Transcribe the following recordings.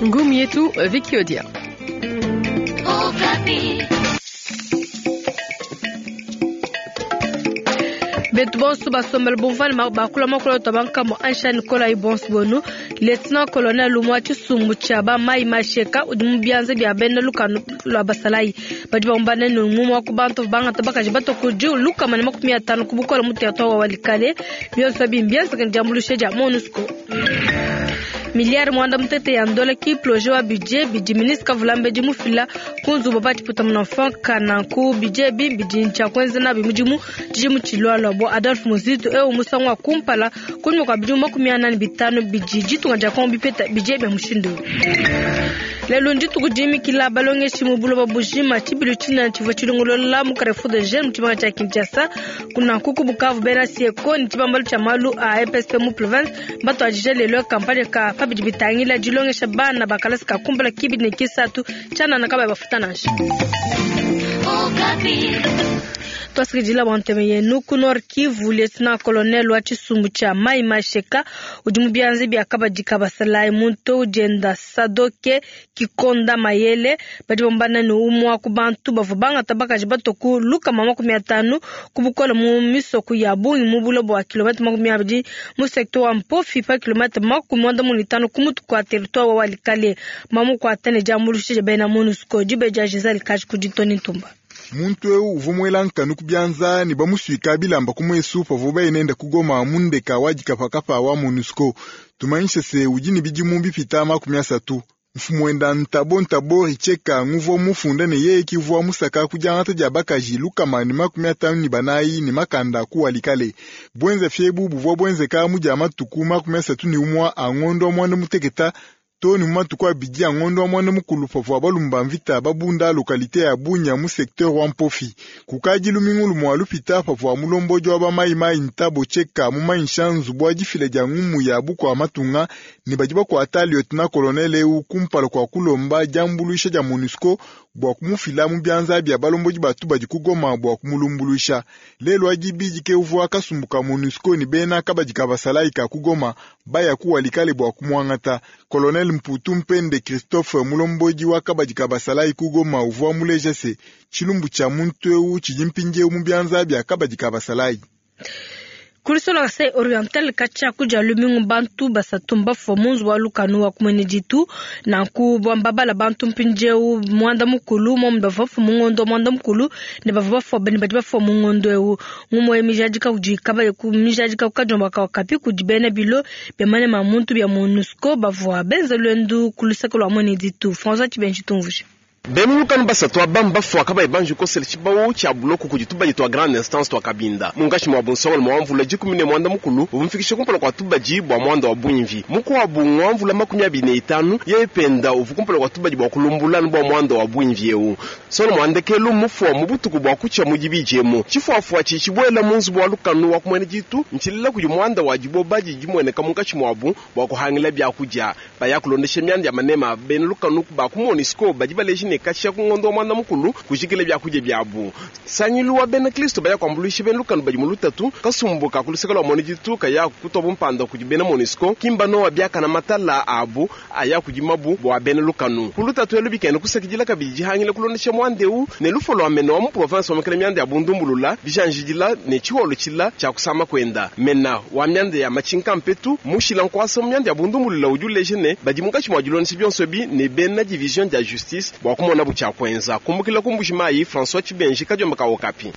Ngumu yetu Vicky Odia. Betu bonso basombele bumvua ne bakula makula tua bankamua ansha Nikolai bonso bonu Lieutenant Colonel umua tshisumbu tshia ba mai masheka udi mu bianza bia bena lukanu lua basalayi badi bambana ne umue wa ku bantu bangata bakaji batua ku 150 ku bukole mu territoire wa Walikale. Bionso abi mbienzeke ne diambuluisha dia MONUSCO. Miliyari muanda mutete ya ndola ki projet wa budget bidi ministre Kavulambedi mufila ku nzubu pa tshiputa munafan kananku budget ebi bidi ntshia kuenza nabi mudimu tshidimu tshilualua bua Adolphe Muzito eu musangu wa kumpala kunyima kua bidimu 45 bidi ditunga dia Kongo bipeta budget bia mushindu eu. Lelu ndituku dimikila balongeshi mu buloba bujima. Tshibilu tshinene tshivua tshilongolola mu Carrefour de Jeunes mu tshimenga tshia Kinshasa. Kunanku ku Bukavu bena Sieko ne tshibambalu tshia malu a EPSP mu province mbatuadije lelu kampanye ka pa bidi bitangila dilongesha bana ba kalasa ka kumpala kibidi ne kisatu tshianana kabayi bafuta nansha. Tuasakidila bua ntema yenu. Ku Nord Kivu, Lieutenant Colonel wa tshisumbu tshia Mai Masheka udi mu bianza bia kabadi ka basalayi muntu udienda Sadoke Kikonda Mayele badi bambana ne umua ku bantu bavua bangata bakaji batua ku 150 ku bukole mu misoko ya bungi mu bule bua kilomètre 20 mu secteur wa Mpofi pa kilomètre 95 ku mutu kua territoire wa Walikale. Mamukuata ne diambuluisha dia bena MONUSCO. Dibe dia Giselle Kaji kudi Tony Ntumba. Muntu eu uvua muela nkanu ku bianza ne bamusuika bilamba ku muesu pavua baye nende ku Goma mu ndeka wa dikapakapa wa MONUSCO. Tumanyishe se udi ne bidimu bipita 30. Mfumu wenda Ntabo Ntabo Richeka nguvua mufunda ne yeye kivua musaka ku diangata dia bakaji 154 ne makanda ku Walikale. Buenza fiebu buvua buenzeka mu dia matuku 31 a ngondo wa muanda muteketa to ne mu matuku abidi a ngondo wa muanda mukulu pavua balumba mvita babunda lokalite ya Bunya mu secteur wa Mpofi. Kukadi lumingu lumua lupita pavua mulombodi wa bamayimayi Ntabo Cheka mumanyisha nzubu wa difila dia ngumu ya bukua matunga ne badi bakuata lieutenant colonel eu kumpala kua kulomba diambuluisha dia MONUSCO bua kumufila mu bianza bia balombodi batu badi ku Goma bua kumulumbuluisha. Lelu adi bidi ke uvua kasumbu ka MONUSCO ne bena kabadi ka basalayi ka ku Goma baya ku Walikale bua kumuangata. Colonel Mputu Mpende Christophe mulombodi wa kabadi ka basalayi ku Goma uvua muleja se tshilumbu tshia muntu eu tshidi mpindieu mu bianza bia kabadi ka basalayi. Kulisola Kasai Oriental katshia kudia lumingu bantu basatu mbafua mu nzubu wa lukanu wa kumwene ditu. Nanku bambabala bantu mpindieu muanda mukulu momwe bavua bafua mu ngondo wa muanda mukulu ne bavua bafua ne badi bafua mu ngondo eu. Ngumue mijadika kudi kabadi ku mijadika ku kadiomba ka Okapi kudi bena bilo bia manema a muntu bia MONUSCO bavua benza luendu ku luseke lua mwene ditu. François Tshibenji tumvuje. Bena lukanu basatu aba mbafua kabayi banji kukosela tshibawu tshia buloko kudi tubadi tua Grande Instance tua Kabinda munkatshi mua bunsongalume wa mvula 15 uvua mufikishe kumpala kua tubadi bua muanda wa buimvi. Mukuabu ngua mvula 25 yeye penda uvua kumpala kua tubadi bua kulumbula anu bua muanda wa buimvi eu. Nsongalume wa ndekelu mmufua mu butuku bua kutshia mu dibidi emu. Tshifuafua tshidi tshibuela mu nzubu wa lukanu wa ku muena ditu ntshilela kudi muanda wa diboba didi dimueneka munkatshi muabu bua kuhangila biakudia. Baya kulondesha mianda ya manema a bena lukanu ba ku MONUSCO badi baleja ne katshia ku ngondo wa muanda mukulu kujikila biakudia biabu. Nsangilu wa bena Kristo baya kuambuluisha bena lukanu badi mu lutatu. Kasumbu ka ku luseke lua muena ditu kaya kutua bumpanda kudi bena MONUSCO kimba nowa biakana matala abu aya kudimabu bua bena lukanu. Ku lutatu elu bikena kusakidila kabidi dihangila kulondesha muanda eu ne lufo lua mena wa mu province wa mekela mianda ya bundumbulula bijanjidila ne tshiholo tshila tshia kusama kuenda. Mena wa mianda ya matshinka mpetu mushila nkuasa mu mianda ya bundumbulula udi uleja ne badi munkatshi mua dilondesha bionso ebi ne bena division dia justice bua kumonabu tshia kuenza. Kumbukila ku Mbuji Mayi, François Tshibenji, kadiomba ka Okapi.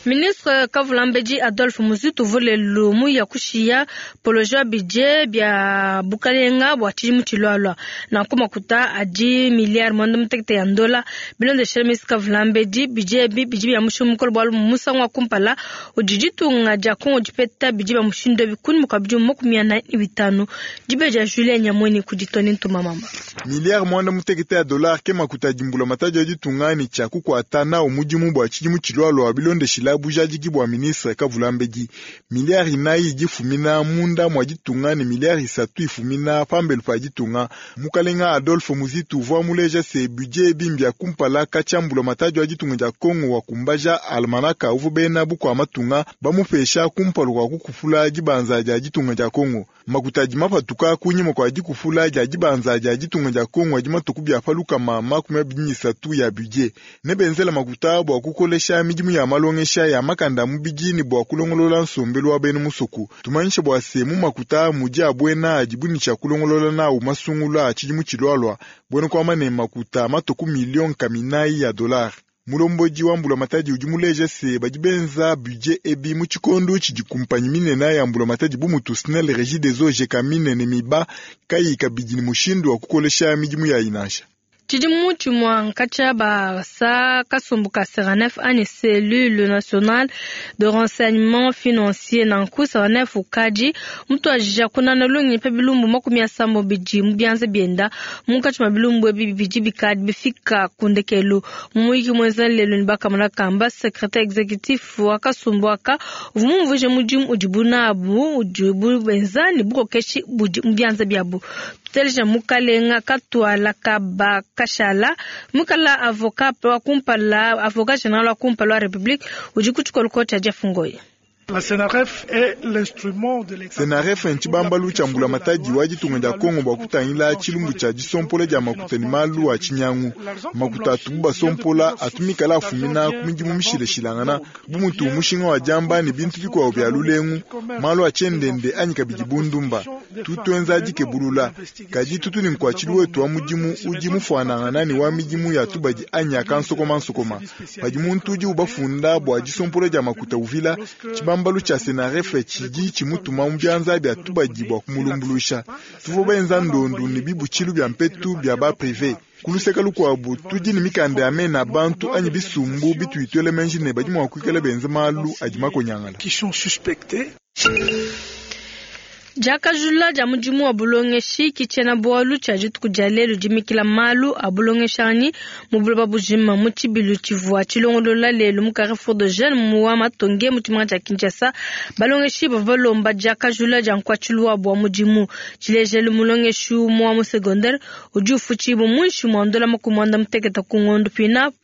Ministre Kavulambedi Adolphe Muzito uvua lelu muya kushiya poloje wa budget bia bukalenga bua tshidimu tshilualua. Nanku makuta adi miliyari muanda mutekete ya ndola. Bilondeshile ministre Kavulambedi, budget ebi bidi bia mushinga mukole bualu musangu wa kumpala udi ditunga dia Kongo dipeta bidi bia mushindu ebi kunyima kua bidimu 45. Dibe dia Julien Nyamweni kudi Tony Ntuma Mamba. Miliyari muanda mutekete ya dollar ke makuta adi mbulamatadi wa ditunga ne tshia kukuata nawu mudimu bua tshidimu tshilualua bilondeshile ufila bujadiki bua ministre Kavulambedi. Miliyari inayi idi ifumina munda mua ditunga ne miliyari isatu ifumina pambelu pa ditunga. Mukalenga Adolphe Muzitu uvua muleja se budget ebi mbia kumpala katshia mbulamatadi wa ditunga dia Kongo wakumbaja almanaka uvua bena bukua matunga bamupesha kumpala kua kukupula dibanza dia ditunga dia Kongo. Makuta adi mapatuka kunyima kua dikupula dia dibanza dia ditunga dia Kongo adi matuku bia pa 23 ya budget. Nebenzela makuta bua kukolesha midimu ya malongesha ya makanda a mubidi ne bua kulongolola nsombelu wa bena musoku. Tumanyishe bua se mu makuta mudi a buena adibu ne tshia kulongolola nawu masungula a tshidimu tshilualua, buena kuamba ne makuta matuku miliyoni 400 ya dolari. Mulombodi wa mbulamatadi udi muleja se badi benza budget ebi mu tshikondo tshidi kumpanyi minene ya mbulamatadi bu mutu SNEL, Regideso, Gécamines ne Miba kayi kabidi ne mushindu wa kukolesha midimu yayi nansha. Tshidimu tshimue nkatshia basa kasumbu ka Seranef anyi Cellule Nationale de Renseignement Financier nanku Seranef ukadi mutuadija kunana lungenyi pa bilumbu 70 bidi mu bianza bienda munkatshi mua bilumbu ebi bidi bikadi bifika ku ndekelu. Mu muyiki muenza lelu ne bakamona kamba secrétaire exécutif wa kasumbu aka uvua mumvuije mudimu udibu nabu udibu benza ne bukokeshi budi mu bianza biabu. Tuteleja mukalenga Katuala Kaba Kashala mukala avocat wa kumpala avocat général wa kumpala wa République udi ku tshikoloko tshia Jeff Ngoyi. La CNRF est l'instrument de l'État. CNRF ntshibambalu tshia mbulamatadi wa ditunga dia Kongo bua kutangila tshilumbu tshia disompola dia makuta ne malu a tshinyangu. Makuta atubu basompola atumikala afumina ku midimu mishilashilangana bu mutu mushinga wa diamba ne bintu bikuabu bia lulengu, malu a tshiendende anyi kabidi bundumba. Tutuenza dikebulula kadi tutu ne nkuatshilu wetu wa mudimu udi mufuanangana ne wa midimu ya tubadi anyi akansokomansokoma. Padi muntu udi ubafunda bua disompola dia makuta uvila tshibambalu tshia CNRF tshidi tshimutuma mu bianza bia tubadi bua kumulumbuluisha. Tuvua benza ndondu ne bibutshilu bia mpetu bia ba privé. Kuluseka lukuabu tudi ne mikanda ya mena bantu anyi bisumbu bituitwele menji ne badi mua kuikala benza malu adi makonyangala. Qui sont suspectés. Diakajula dia mudimu wa bulongeshi kitshiena bualu tshia dituku dia lelu dimikila malu a bulongeshanyi mu buloba bujima mu tshibilu tshivua tshilongolola lelu mu Carrefour de Jeunes mu wa Matonge mu tshimenga tshia Kinshasa. Balongeshi bavua balomba diakajula dia nkuatshilu wabu wa mudimu. Tshilejelu mulongeshi umue wa mu secondaire udi ufutshibua muinshi mua ndola 90 ku ngondo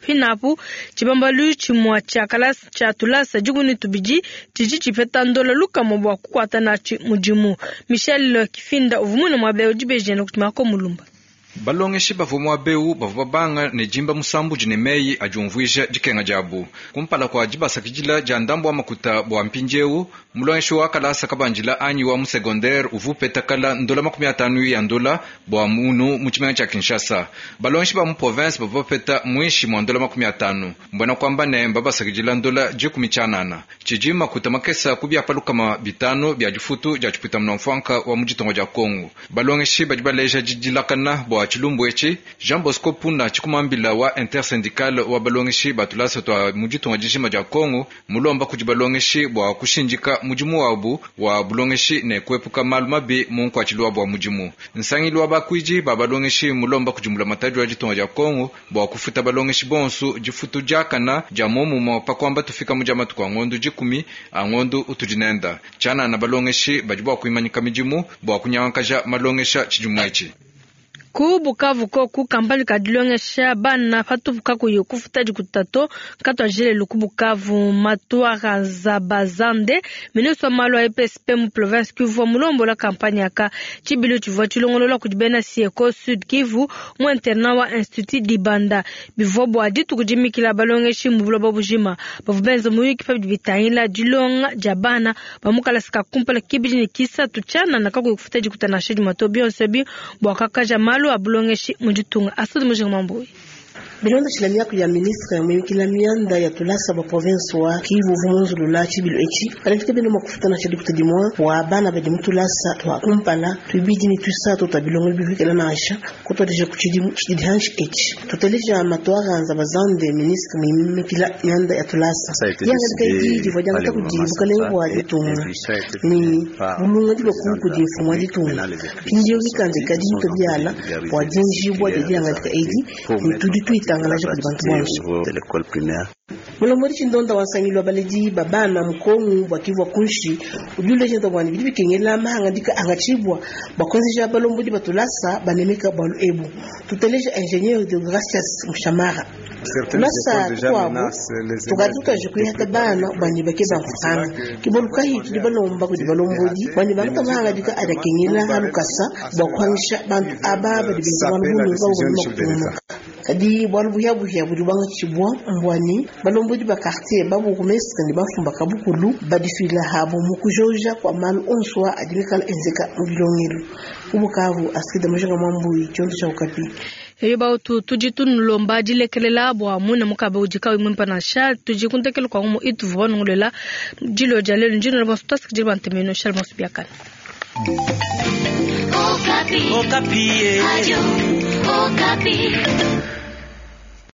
pinapu tshibambalu tshimue tshia kalasa tshia tulasa 12 tshidi tshipeta ndola 100 bua kukuata natshi mudimu. Michel Kifinda uvua muine muaba udi bejene kutumako mulumba. Balongeshi bavua muabeu bavua babanga ne jimba musambu ne meyi adiumvuija dikenga diabu kumpala kua dibasakidila dia ndambu wa makuta bua mpindieu mulongeshi wa kalasa kabandila anyi wa mu secondaire uvua upeta kala ndola 50 ya ndola bua munu mu tshimenga tshia Kinshasa. Balongeshi ba mu province bavua bapeta muinshi mua ndola 50 mbona kwamba ne mbabasakidila ndola 19 tshidi makuta makesa ku bia palukama 5 bia difutu dia tshipuita mfranka wa mu ditongo dia Kongo. Balongeshi badi baleja didilakana bua tshilumbu etshi. Jean Bosco Puna tshikumambila wa intersyndical wa balongeshi batulasa twa mu ditongo dijima dia Kongo mulomba kudi balongeshi bua kushindika mudimu wabu wa bulongeshi ne kuepuka malu mabi mu nkuatshilu wabu wa mudimu. Nsangilu wa bakuidi ba balongeshi mulomba kudi mbulamatadi wa ditongo dia Kongo bua kufuta balongeshi bonso difutu diakana dia momumo pa kuamba tufika mu dia matuku a ngondo 10 a ngondo utudi nenda. Tshianana balongeshi badi bua kuimanyika midimu bua kunyangakaja malongesha tshidimu etshi. Ku Bukavu koku kampani ka dilongesha bana patupu kakuyi kufuta dikutato katwajilelu ku Bukavu Matwara Zabazande ministre wa malu a EPSP mu province Kivu mulombola kampani aka tshibilu tshivua tshilongolola kudi bena Sieko Sud Kivu mu internat wa Institut Dibanda bivua bua dituku dimikila balongeshi mu buloba bujima bavua benza muyuki pa bidi bitangila dilonga dia bana ba mu kalasa ka kumpala kibidi ne kisatu tshianana kakuyi kufuta dikuta nansha dimue to bionso ebi bua kakaja malu a bulongeshi mu ditunga. Asudi Mujinga Mambuyi. Bilonda tshila miaku ya ministre muyukila mianda ya tulasa bua province wa Kivu vumunzulula tshibilu etshi kalafika beno makufuta na tshidikuta dimue bua bana badi mu tulasa twa kumpala tuibidi ne tuisatu twa bilongo bihikela nansha kutwadija ku tshidimu tshidi hanshi etshi tuteleja matwaranza bazande ministre muyukila mianda ya tulasa yangalika idi divua diangata kudi bukalenge bua ditunga ni bulunga dibua kudi mfumu wa ditunga mpindieu mikanda ikadi mito biala bua dienjibua dia diangalika edi ne tudi tuitangalaja kudi bantu bonso. Mulombodi tshindonda wa nsangilu wa baledi ba bana mu Kongu bua Kivu wa kunshi udi uleja bua ne bidi bikengela mahangadika angatshibua bua kuenzeja balombodi ba tulasa banemeka bualu ebu. Tuteleja ingénieur Deogracias Mushamara. Tulasa tukuabu tukadi tutuaje kuyata bana bua ne bakeba mfranga ke bualu kayi tudi balomba kudi balombodi bua ne bangata mahangadika adi akengela halukasa bua kuhangisha bantu aba badi benza malu bu nunku abo kutungunuka. Kadi bualu buhiabuhia budi buangatshibua mbua ne balombodi ba quartier ba bourgmestre ne bamfumu ba kabukulu badifila habo mu kujoja kua malu onso adi mikala enzeka mu bilongelu. Ku Bukavu, Astrid Mujinga Mwambuyi, tshiondo tshia Okapi. Eyo bautu tudi tunulomba dilekelela bua muine mukabe udi kawi mwimpa nansha tudi kuntekela kwa ngumu ituvua banungulela dilo dia lelu ndino bonso tuasikidile bantemeno shal bonso biakana. Okapi. Okapi. Radio Okapi.